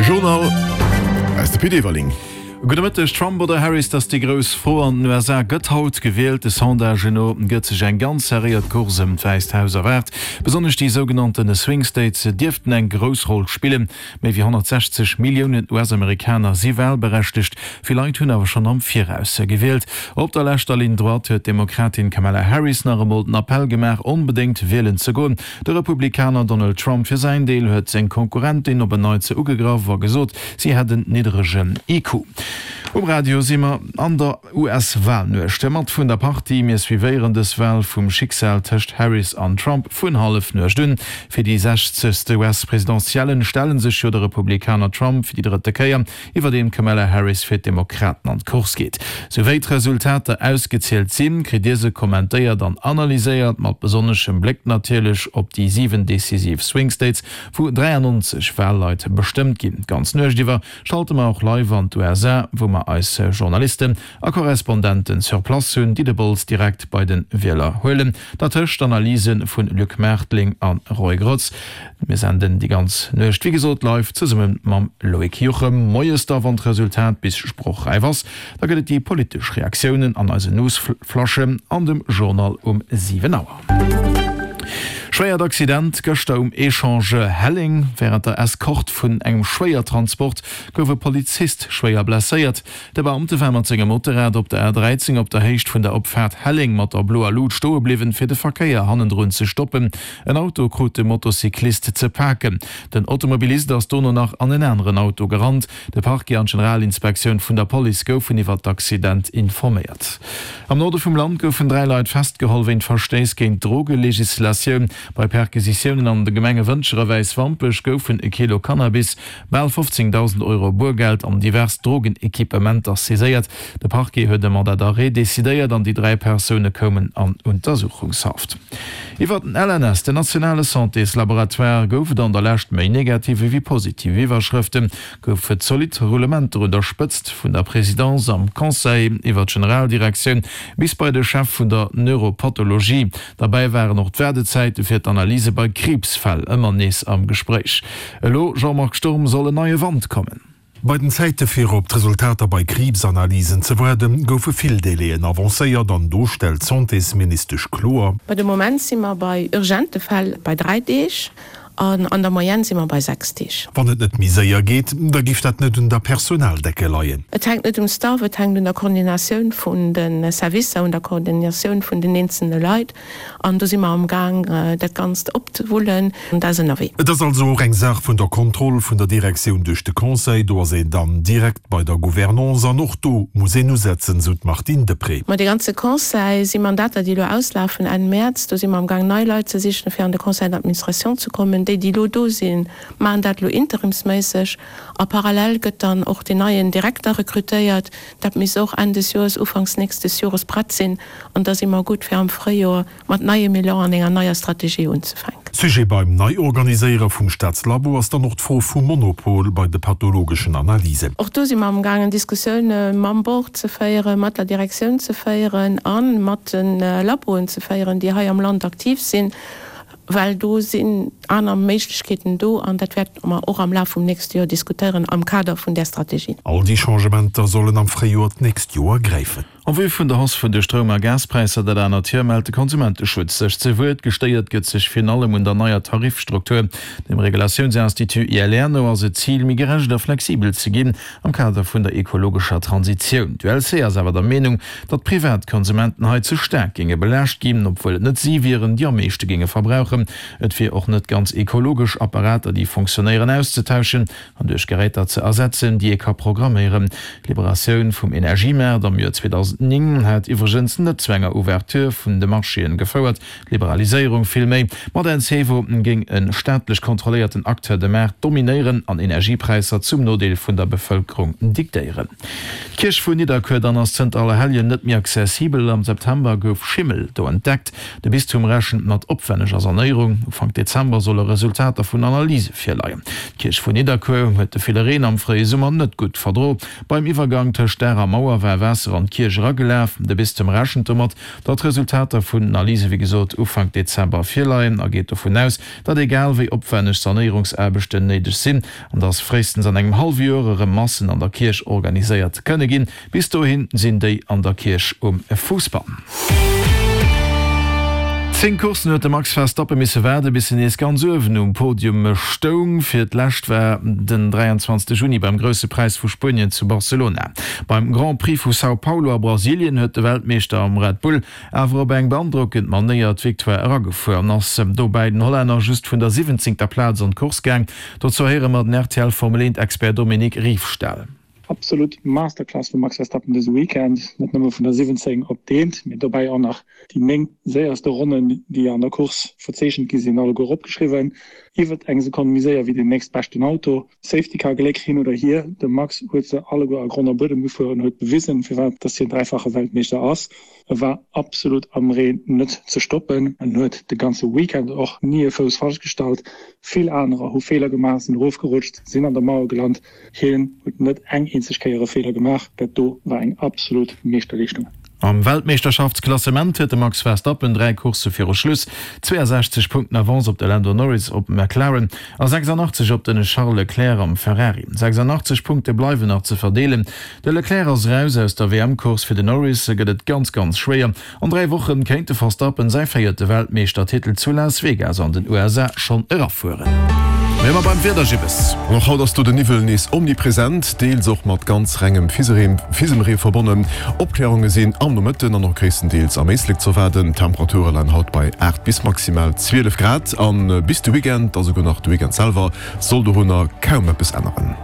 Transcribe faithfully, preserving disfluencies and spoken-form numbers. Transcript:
Journal aus de Pit Everling. Gudde Mëtteg. Trump oder Harris, dat ass déi grouss Fro an den U S A gëtt haut gewielt. De Sondagen no gëtt sech eng ganz serréiert Course ëm d'Wäisst Haus erwaart. Besonnesch déi sougenannte Swing States dierften eng grouss Roll spillen. Méi wéi honnertsechzeg Milliounen U S-Amerikaner si walberechtegt. Vill Leit hunn awer schonn am Viraus gewielt. Op der leschter Ligne droite huet d'Demokratin Kamala Harris nach emol den Appell gemaach, onbedéngt wielen ze goen. De Republikaner Donald Trump fir säin Deel huet seng Konkurrentin op en Neits ugegraff a gesot, si hätt en nidderegen I Q. Um Radio si mer an der U S-Walnuecht mat vun der Partie. Mir suivéieren dës Wal vum Schicksal tëscht Harris an Trump vun Hallefnuecht un. Fir déi sechzegste U S-Presidentielle stelle sech jo de Republikaner Trump fir déi drëtte Kéier, iwwerdeem Kamala Harris fir d'Demokraten an d'Course geet. Souwéi d'Resultater ausgezielt sinn, kritt Dir se kommentéiert an analyséiert, mat besonneschem Bléck natierlech op déi siwen decisiv Swing States, wou dräiannonzeg Wahlleit bestëmmt ginn. D'ganz Nuecht iwwer schalte mer och live an d'U S A, wou mer eis Journalisten a Korrespondenten sur place hunn, déi de Bols direkt bei den Wieler huelen. Dertëscht Analyse vun Luc Mertling an Roy Grotz. Mir senden déi ganz Nuecht, wéi gesot, live zesumme mam Loïc Juchem. Moies da, wann d'Resultat bis sprochräif ass, da gëtt et déi politesch Reaktiounen an eise Newsflasche an dem Journal um siwen Auer. Schwéiert Accident gëschter um Echange Helleng. Während der Eskorte vun engem Schwéiertransport gouf e Polizist schwéier blesséiert. De Beamte war mat sengem Motorrad op der A dreizéng op der Héicht vun der Opfaart Helleng mat der bloer Lut stoe bliwwen, fir de Verkéier hannendrun ze stoppen. En Auto krut de Motocyclist ze paken. Den Automobilist ass dono nach an en aneren Auto gerannt. De Parquet an d'Generalinspektioun vun der Police goufen iwwer d'Accident informéiert. Am Norde vum Land goufen dräi Leit festgeholl wéint Verstéiss géint d'Drogelegislatioun. Bei Perquisitiounen an de Gemenge Wëntger a Wäiswampech goufen e Kilo Cannabis, bal fofzéngdausend Euro Buergeld an divers Drogenequipementer saiséiert. De Parquet huet e Mandat d'arrêt decidéiert an déi dräi Persoune koumen an Untersuchungshaft. Iwwer den L N S, den nationale Santéslaboratoire, gouf et an der Lescht méi negative wéi positiv Iwwerschrëften. Gouf et zolidd Roulementer un der Spëtzt vun der Présidence am Conseil iwwer d'Generaldirektioun bis bei de Chef vun der Neuropathologie. Dabei waren och d'Waardezäite fir d'Analyse bei Kriibsfäll ëmmer nees am Gespréich. Elo, Jean-Marc Sturm, soll en neie Wand kommen. Bei den Zäite fir op d'Resultater bei Kriibsanalysen ze waarden, goufe vill Délaiën avancéiert an do stellt d'Santésministesch kloer. Bei de Moment si mer bei urgente Fäll bei dräi Deeg an an der Moyenne si mer bei sechs Deeg. Wann et net méi séier geet, da giff dat net un der Personaldecke leien. Et hänkt net um Staff, et hänkt un der Koordinatioun vun den Servicer, un der Koordinatioun vun den einzelnen Leit. An do si mer am Gang, dat Ganzt opzewullen an dat ass ënnerwee. Et ass also och eng Saach vun der Kontroll vun der Direktioun duerch de Conseil, do ass een dann direkt bei der Gouvernance an och do muss een usetzen, sou d'Martine Deprez. Ma de ganze Conseil si Mandater, déi lo auslafen Enn März, do si mer am Gang nei Leit ze sichen, fir an de Conseil d'administration ze kommen. Déi, déi lo do sinn, machen dat lo interimsméisseg. A parallel gëtt dann och den neien Direkter rekrutéiert. Dat misst och Enn des Jahres, Ufanks nächstes Jahres prett sinn. An da si mer gutt fir am Fréijoer mat neiem Elan an enger neier Strategie unzefänken. Sujet beim Neiorganiséiere vum Staatslabo ass dann och d'Fro vum Monopol bei de pathologeschen Analysen. Och do si mer am Gang Diskussioune mam Board ze féieren, mat der Direktioun ze féieren an mat den Laboen ze féieren, déi hei am Land aktiv sinn, well do sinn aner Méiglechkeeten do an dat wäert mer och am Laf vum nächste Joer diskutéieren am Kader vun der Strategie. All déi Changementer sollen am Fréijoer d'nächst Joer gräifen. En vue vun der Hausse vun de Stroum- a Gaspräisser dat anert Joer mellt de Konsumenteschutz sech ze Wuert. Gestéiert gëtt sech virun allem un der neier Tarifstruktur. Dem Regulatiounsinstitut I L R no ass et Zil, méi gerecht a flexibel ze ginn am Kader vun der ekologescher Transitioun. D'U L C ass awer der Meenung, datt Privatkonsumenten hei ze staark géinge belaascht ginn, obwuel et net si wieren, déi am meeschte géinge verbrauchen. Et wier och net ganz ekologesch, Apparater, déi funktionéieren, auszetauschen an duerch Geräter ze ersetzen, déi ee ka programméieren. D'Liberatioun vum Energiemarkt am Joer zweedausendnéng hat iwwregens net zu enger Ouverture vun de Marchéen gefouert. D'Liberaliséierung villméi. Mat Encevo géing en staatlech kontrolléierten Acteur de Maart dominéieren an Energiepräisser zum Nodeel vun der Bevëlkerung diktéieren. D'Kierch vun Nidderkuer dann ass zënter Allerhelljen net méi accessibel. Am September gouf Schimmel do entdeckt. De Bistum rechent mat opwenneger Sanéierung. Ufank Dezember solle Resultater vun Analyse virleien. D'Kierch vun Nidderkuer huet de ville Reen am fréie Summer net gutt verdro. Beim Iwwergang tëscht Daach a Mauer war Waasser an d'Kierch eragelaf. De Bistum rechent domat, datt d'Resultater vun den Analyse wéi gesot Ufank Dezember virleien a geet dovun aus, datt egal wéi opwänneg Sanéierungsaarbechten néideg sinn an datt fréistens an engem hallwe Joer erëm Massen an der Kierch organiséiert kënne ginn. Bis dohi sinn déi an der Kierch um Fousbann. Zéng Courssen huet de Max Verstappen misse waarde bis en nees ganz uewen um Podium stoung. Fir d'lescht war den dräianzwanzegste Juni beim Grousse Präis vu Spuenien zu Barcelona. Beim Grand Prix vu São Paulo a Brasilien huet de Weltmeeschter am Red Bull awer op eng beandrockend Manéier d'Victoire eragefuer an ass dobäi den Hollänner just vun der siwwenzéngter Plaz an d'Course gaang. Dozou héiere mer den R T L Formel eent Expert Dominique Riefstahl. Absolut Masterclass vum Max Verstappen dëse Weekend, net nëmme vun der siwwenzéng op d'eent, mee dobäi och nach déi néng séierste Ronnen, déi an der Course verzeechent gi sinn, alleguer opgeschriwwen. Iwwert eng Sekonn méi séier wéi deen nächstbeschten Auto. Safety Car Gléck hin oder hier, de Max huet se alleguer a Grond a Buedem gefuer an huet bewisen, firwat dass hien dräifache Weltmeeschter ass. E war absolut am Reen net ze stoppen an huet de ganze Weekend och ni e Fouss falsch gestallt. Vill anerer hu Feeler gemaach, sinn erofgerutscht, sinn an der Mauer gelant. Hien huet net eng eenzeg Kéier e Feeler gemaach. Dat do war eng absolut Meeschterleeschtung. Am Weltmeeschterschaftsklassement huet de Max Verstappen dräi Coursse viru Schluss zweeasechzeg Punkten Avance op de Lando Norris op McLaren a sechsandachtzeg op den Charles Leclerc am Ferrari. sechsandachtzeg Punkte bleiwen nach ze verdeelen. De Leclerc ass eraus aus der W M-Course, fir den Norris gëtt et ganz, ganz schwéier. An dräi Woche kéint de Verstappen säi véierte Weltmeeschtertitel zu Las Vegas an den U S A schonn erafueren. Mir ma beim Wieder, Gibbes. An och haut ass do den Niwwel nees omnipresent, deels och mat ganz rengem Fisemree verbonnen. Opklärunge sinn am Nomëtten an och gréisstendeels am Éislek z'erwaarden. D'Temperature leien haut bei aacht bis maximal zwielef Grad an bis de Weekend, a souguer nach de Weekend selwer, soll dorunner kaum eppes änneren.